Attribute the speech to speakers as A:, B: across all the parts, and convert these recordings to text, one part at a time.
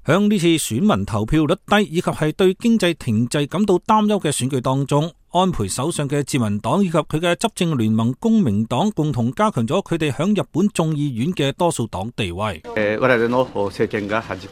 A: 響呢次選民投票率低以及係對經濟停滯感到擔憂嘅選舉當中，安倍首相嘅自民黨以及佢嘅執政聯盟公明黨共同加強咗佢哋響日本眾議院嘅多數黨地位。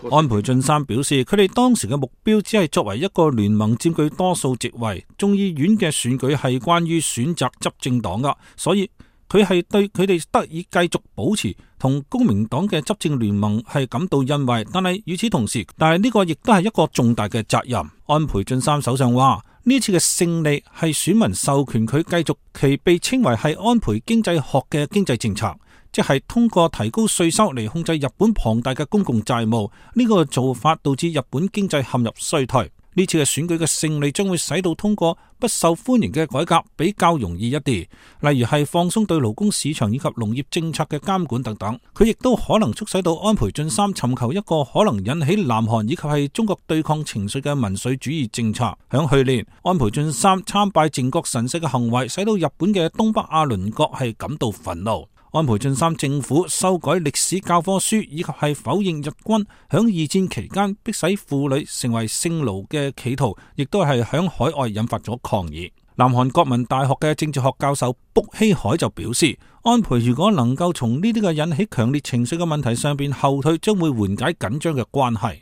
A: 安倍晉三表示，佢哋當時嘅目標只係作為一個聯盟佔據多數席位，眾議院嘅選舉係關於選擇執政黨噶，所以佢係對佢哋得以繼續保持同公明黨嘅執政聯盟係感到欣慰，但係與此同時，呢個亦都係一個重大嘅責任。安倍晉三首相話，呢次嘅勝利係選民授權佢繼續其被稱為係安倍經濟學嘅經濟政策，即係通過提高稅收嚟控制日本龐大嘅公共債務。呢個做法導致日本經濟陷入衰退。呢次嘅選舉嘅勝利將會使到通過不受歡迎嘅改革比較容易一啲，例如係放鬆對勞工市場以及農業政策嘅監管等等。佢亦都可能促使到安倍晉三尋求一個可能引起南韓以及係中國對抗情緒嘅民粹主義政策。響去年，安倍晉三參拜靖國神社嘅行為，使到日本嘅東北亞鄰國係感到憤怒。安倍晉三政府修改歷史教科書，以及係否認日軍響二戰期間迫使婦女成為性奴嘅企圖，亦都係響海外引發咗抗議。南韓國民大學嘅政治學教授卜希海就表示，安倍如果能夠從呢啲嘅引起強烈情緒嘅問題上邊後退，將會緩解緊張嘅關係。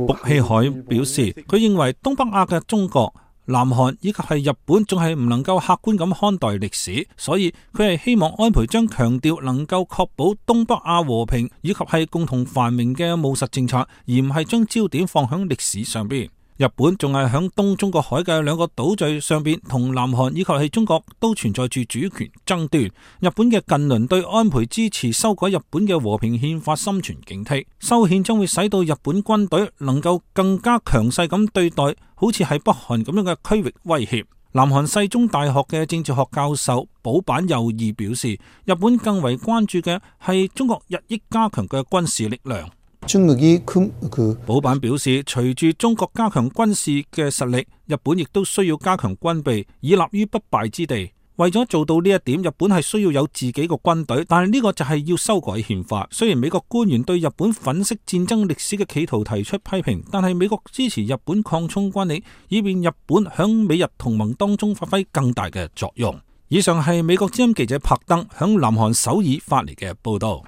A: 卜希海表示，佢認為東北亞嘅中國、南韓以及係日本仲係唔能夠客觀咁看待歷史，所以佢係希望安倍將強調能夠確保東北亞和平以及係共同繁榮嘅務實政策，而唔係將焦點放響歷史上邊。日本仲係響東中國海嘅兩個島嶼上邊，同南韓以及係中國都存在住主權爭端。日本嘅近鄰對安倍支持修改日本嘅和平憲法心存警惕，修憲將會使到日本軍隊能夠更加強勢咁對待好似係北韓咁樣嘅區域威脅。南韓世宗大學嘅政治學教授保坂佑二表示，日本更為關注嘅係中國日益加強嘅軍事力量。保坂表示，隨住中國加強軍事嘅實力，日本亦都需要加強軍備，以立於不敗之地。為咗做到呢一點，日本係需要有自己個軍隊，但係呢個就係要修改憲法。雖然美國官員對日本粉飾戰爭歷史嘅企圖提出批評，但係美國支持日本擴充軍力，以便日本響美日同盟當中發揮更大嘅作用。以上係美國之音記者柏登響南韓首爾發嚟嘅報道。